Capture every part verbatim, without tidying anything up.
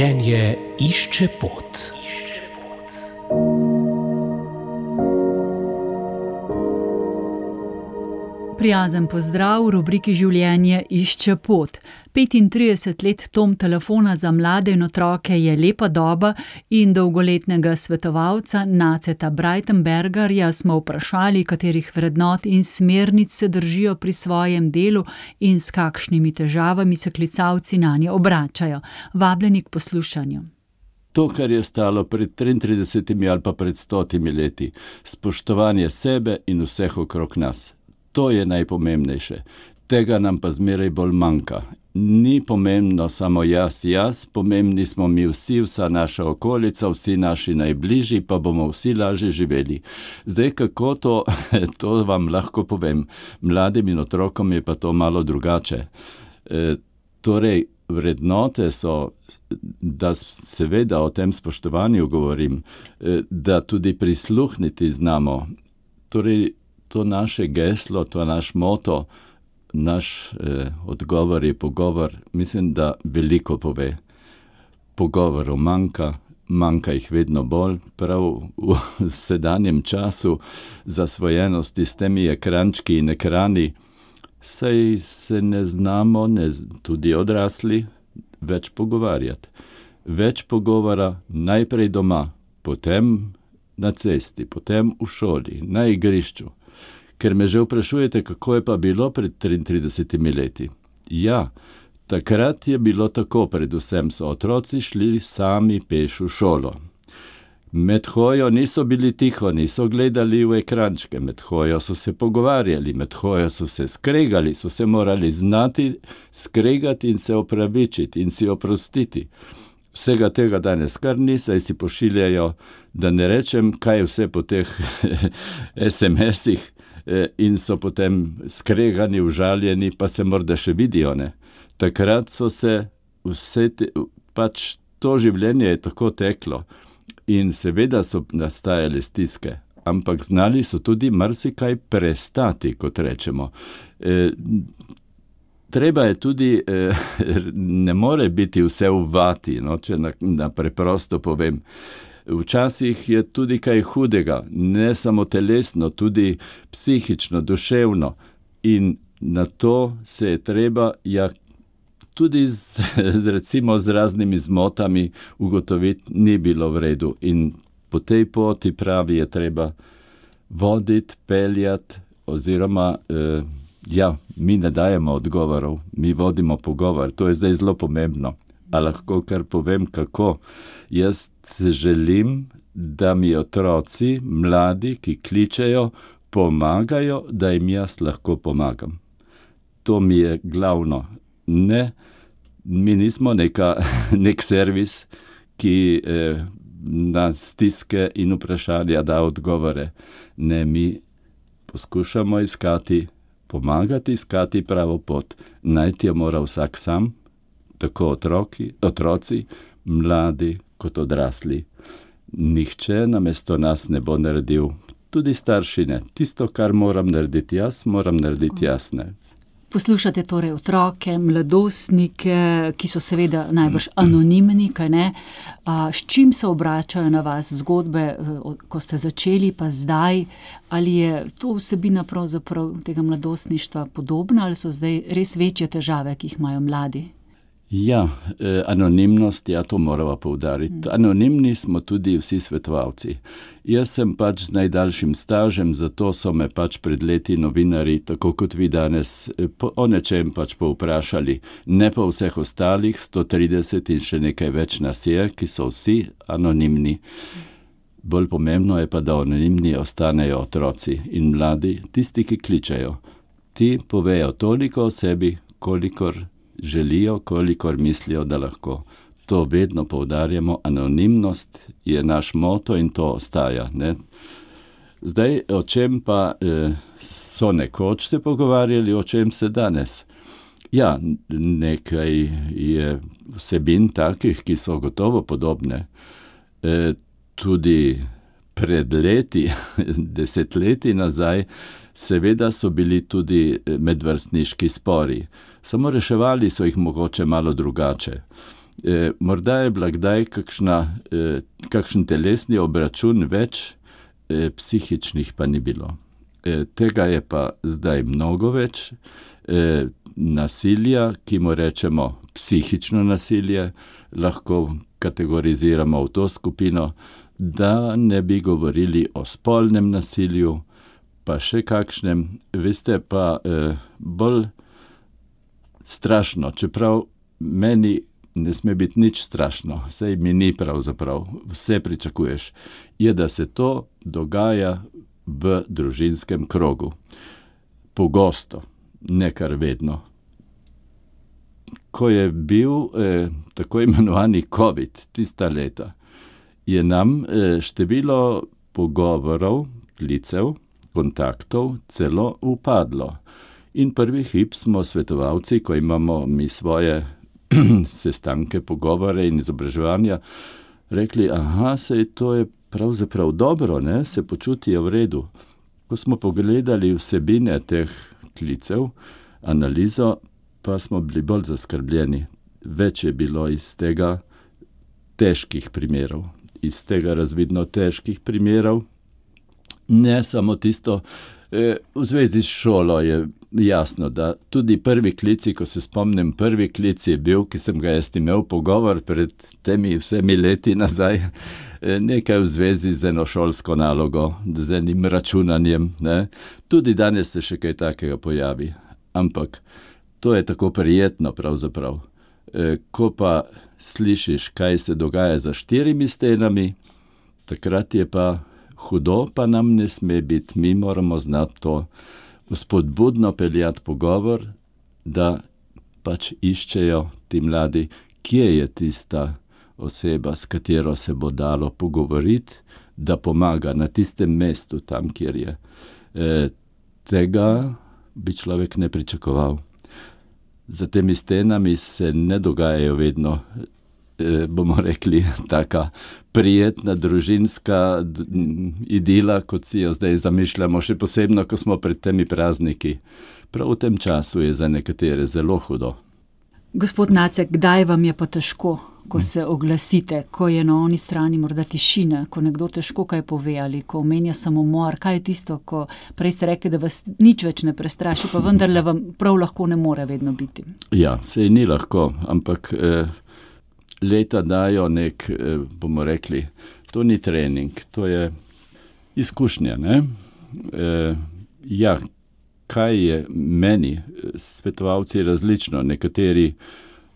Življenje išče pot. Prijazen pozdrav v rubriki Življenje išče pot. petintrideset let Tom telefona za mlade in otroke je lepa doba in dolgoletnega svetovalca Naceta Breitenbergerja smo vprašali, katerih vrednot in smernic se držijo pri svojem delu in s kakšnimi težavami se klicalci nanje obračajo. Vabljeni k poslušanju. To, kar je stalo pred triintridesetimi ali pa pred stotimi leti, spoštovanje sebe in vseh okrog nas. To je najpomembnejše. Tega nam pa zmeraj bolj manjka. Ni pomembno samo jaz, jaz, pomembni smo mi vsi, vsa naša okolica, vsi naši najbližji, pa bomo vsi lažje živeli. Zdaj, kako to, to vam lahko povem. Mladim in otrokom je pa to malo drugače. E, torej, vrednote so, da seveda o tem spoštovanju govorim, e, da tudi prisluhniti znamo. Torej, to naše geslo, to naš moto, naš eh, odgovor je pogovor, mislim, da veliko pove. Pogovorov manjka, manjka jih vedno bolj, prav v sedanjem času zasvojenosti s temi ekrančki in ekrani, saj se ne znamo, ne, tudi odrasli, več pogovarjati. Več pogovora najprej doma, potem na cesti, potem v šoli, na igrišču. Ker me že vprašujete, kako je pa bilo pred triintridesetimi leti. Ja, takrat je bilo tako, predvsem so otroci šli sami peš v šolo. Med hojo niso bili tiho, niso gledali v ekrančke, med hojo so se pogovarjali, med hojo so se skregali, so se morali znati skregati in se opravičiti in si oprostiti. Vsega tega danes kar ni, saj si pošiljajo, da ne rečem, kaj vse po teh es em esih, in so potem skregani, užaljeni, pa se morda še vidijo, ne. Takrat so se vse, te, pač to življenje je tako teklo in seveda so nastajale stiske, ampak znali so tudi marsikaj prestati, kot rečemo. E, treba je tudi, e, ne more biti vse v vati, no, če na, na preprosto povem. Včasih je tudi kaj hudega, ne samo telesno, tudi psihično, duševno. In na to se je treba, ja, tudi z, z, recimo, z raznimi zmotami ugotoviti, ni bilo v redu. In po tej poti pravi je treba voditi, peljati, oziroma, eh, ja, mi ne dajemo odgovorov, mi vodimo pogovor. To je zdaj zelo pomembno. A lahko kar povem, kako. Jaz želim, da mi otroci, mladi, ki kličejo, pomagajo, da jim jaz lahko pomagam. To mi je glavno. Ne, mi nismo neka, nek servis, ki eh, na stiske in vprašanja da odgovore. Ne, mi poskušamo iskati, pomagati iskati pravo pot. Najti jo mora vsak sam, tako otroki, otroci, mladi kot odrasli. Nihče namesto nas ne bo naredil, tudi starši ne. Tisto, kar moram narediti jaz, moram narediti jaz, ne. Poslušate torej otroke, mladostnike, ki so seveda najbrž anonimni, kaj ne? A, s čim se obračajo na vas zgodbe, ko ste začeli, pa zdaj? Ali je to vsebina pravzaprav tega mladostništva podobna, ali so zdaj res večje težave, ki jih imajo mladi? Ja, eh, anonimnost, ja, to moramo poudariti. Anonimni smo tudi vsi svetovalci. Jaz sem pač z najdaljšim stažem, zato so me pač pred leti novinari, tako kot vi danes, po, o nečem pač povprašali. Ne pa vseh ostalih, sto trideset in še nekaj več nas je, ki so vsi anonimni. Bolj pomembno je pa, da anonimni ostanejo otroci in mladi, tisti, ki kličejo. Ti povejo toliko o sebi, kolikor želijo, kolikor mislijo, da lahko. To vedno poudarjamo, anonimnost je naš moto in to ostaja, ne. Zdaj, o čem pa eh, so nekoč se pogovarjali, o čem se danes? Ja, nekaj je vsebin takih, ki so gotovo podobne. E, tudi pred leti, desetletji nazaj, seveda so bili tudi medvrstniški spori. Samo reševali so jih mogoče malo drugače. E, morda je bila kdaj kakšna, e, kakšen telesni obračun več, e, psihičnih pa ni bilo. E, tega je pa zdaj mnogo več, e, nasilja, ki mu rečemo psihično nasilje, lahko kategoriziramo v to skupino, da ne bi govorili o spolnem nasilju, pa še kakšnem, veste pa e, bolj strašno, čeprav meni ne sme biti nič strašno, saj mi ni pravzaprav, vse pričakuješ, je, da se to dogaja v družinskem krogu. Pogosto, ne kar vedno. Ko je bil eh, tako imenovani COVID, tista leta, je nam eh, število pogovorov, klicev, kontaktov celo upadlo. In prvi hip smo svetovalci, ko imamo mi svoje sestanke, pogovore in izobraževanja, rekli, aha, sej to je pravzaprav dobro, ne, se počutijo v redu. Ko smo pogledali vsebine teh klicev, analizo, pa smo bili bolj zaskrbljeni. Več je bilo iz tega težkih primerov, iz tega razvidno težkih primerov, ne samo tisto, eh, v zvezi s šolo je jasno, da tudi prvi klici, ko se spomnim, prvi klic je bil, ki sem ga jaz imel pogovor pred temi vsemi leti nazaj, nekaj v zvezi z eno šolsko nalogo, z enim računanjem, ne. Tudi danes se še kaj takega pojavi, ampak to je tako prijetno pravzaprav. E, ko pa slišiš, kaj se dogaja za štirimi stenami, takrat je pa hudo, pa nam ne sme biti, mi moramo znati to vzpodbudno peljati pogovor, da pač iščejo ti mladi, kje je tista oseba, s katero se bo dalo pogovoriti, da pomaga na tistem mestu, tam, kjer je. E, tega bi človek ne pričakoval. Za temi stenami se ne dogajajo vedno, e, bomo rekli, taka prijetna družinska idila, kot si jo zdaj zamišljamo, še posebno, ko smo pred temi prazniki. Prav v tem času je za nekatere zelo hudo. Gospod Nacek, kdaj vam je pa težko, ko se oglasite, ko je na oni strani morda tišina, ko nekdo težko kaj pove ali ko omenja samomor, kaj je tisto, ko prej ste rekli, da vas nič več ne prestraši, pa vendarle vam prav lahko ne more vedno biti? Ja, sej ni lahko, ampak eh, leta dajo nek, eh, bomo rekli, to ni trening, to je izkušnja, ne? Eh, ja, kaj je meni, svetovalci različno, nekateri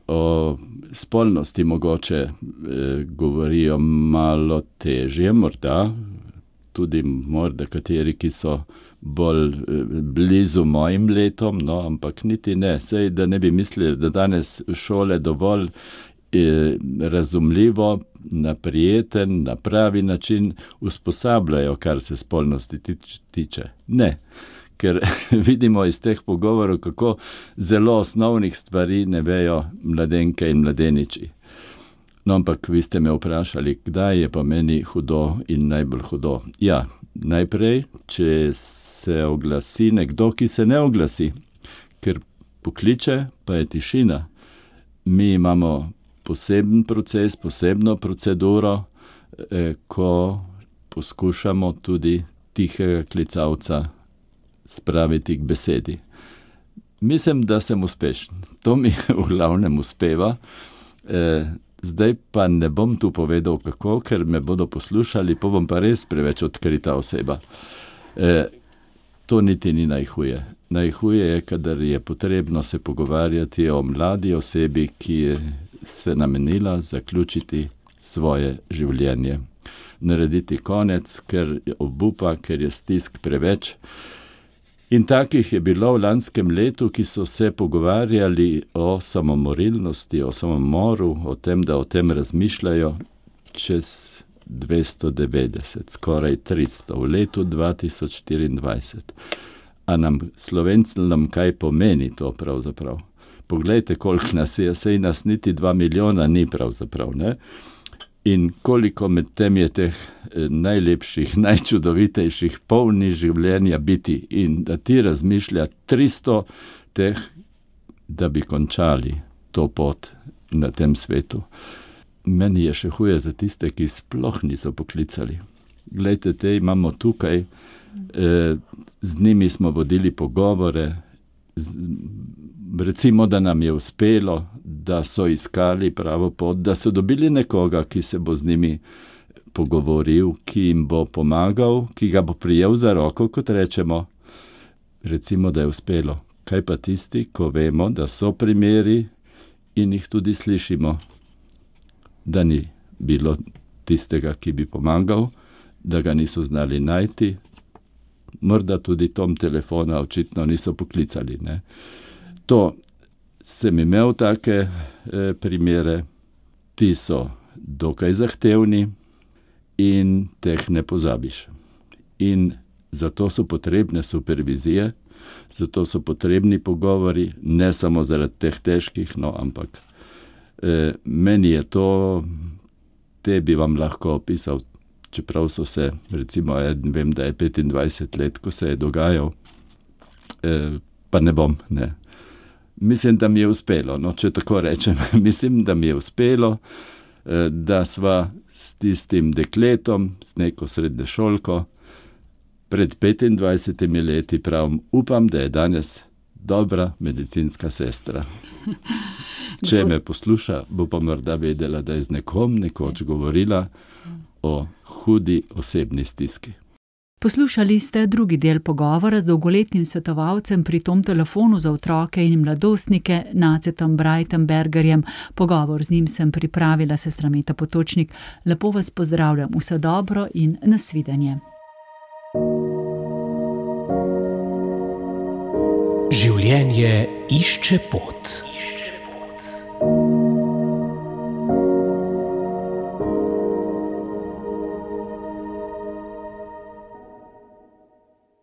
o spolnosti mogoče eh, govorijo malo težje, morda, tudi morda kateri, ki so bolj eh, blizu mojim letom, no, ampak niti ne, sej da ne bi mislili, da danes šole dovolj eh, razumljivo, na prijeten, na pravi način usposabljajo, kar se spolnosti tič, tiče. Ne. Ker vidimo iz teh pogovorov, kako zelo osnovnih stvari ne vejo mladenke in mladeniči. No, ampak vi ste me vprašali, kdaj je pa meni hudo in najbolj hudo. Ja, najprej, če se oglasi nekdo, ki se ne oglasi, ker pokliče, pa je tišina. Mi imamo poseben proces, posebno proceduro, eh, ko poskušamo tudi tihega klicavca spraviti k besedi. Mislim, da sem uspešen. To mi v glavnem uspeva. E, zdaj pa ne bom tu povedal kako, ker me bodo poslušali, pa bom pa res preveč odkrita oseba. E, to niti ni najhuje. Najhuje je, kadar je potrebno se pogovarjati o mladi osebi, ki je se namenila zaključiti svoje življenje. Narediti konec, ker je obupa, ker je stisk preveč. In takih je bilo v lanskem letu, ki so se pogovarjali o samomorilnosti, o samomoru, o tem, da o tem razmišljajo, čez dvesto devetdeset, skoraj tristo, v letu dva tisoč štiriindvajset. A nam, Slovencem, nam kaj pomeni to pravzaprav? Poglejte, koliko nas je, sej nas niti dva milijona ni pravzaprav, ne? In koliko med tem je teh eh, najlepših, najčudovitejših, polnih življenja biti in da ti razmišlja tristo teh, da bi končali to pot na tem svetu. Meni je še huje za tiste, ki sploh niso poklicali. Glejte, te imamo tukaj, eh, z njimi smo vodili pogovore, z, recimo, da nam je uspelo, da so iskali pravo pot, da so dobili nekoga, ki se bo z njimi pogovoril, ki jim bo pomagal, ki ga bo prijel za roko, kot rečemo. Recimo, da je uspelo. Kaj pa tisti, ko vemo, da so primeri in jih tudi slišimo, da ni bilo tistega, ki bi pomagal, da ga niso znali najti, morda tudi tom telefona očitno niso poklicali. Ne? To sem imel take eh, primere, ti so dokaj zahtevni in teh ne pozabiš. In zato so potrebne supervizije, zato so potrebni pogovori, ne samo zaradi teh težkih, no, ampak eh, meni je to, te bi vam lahko opisal, čeprav so se, recimo, eden, vem, da je petindvajset let, ko se je dogajal, eh, pa ne bom, ne. Mislim, da mi je uspelo, no, če tako rečem, mislim, da mi je uspelo, eh, da sva s tistim dekletom, s neko srednješolko, pred petindvajsetimi leti pravim, upam, da je danes dobra medicinska sestra. Če me posluša, bo pa morda vedela, da je z nekom nekoč govorila o hudi osebni stiski. Poslušali ste drugi del pogovora z dolgoletnim svetovalcem pri tom telefonu za otroke in mladostnike Nacetom Breitenbergerjem. Pogovor z njim sem pripravila sestra Meta Potočnik. Lepo vas pozdravljam, vse dobro in nasvidenje. Življenje išče pot.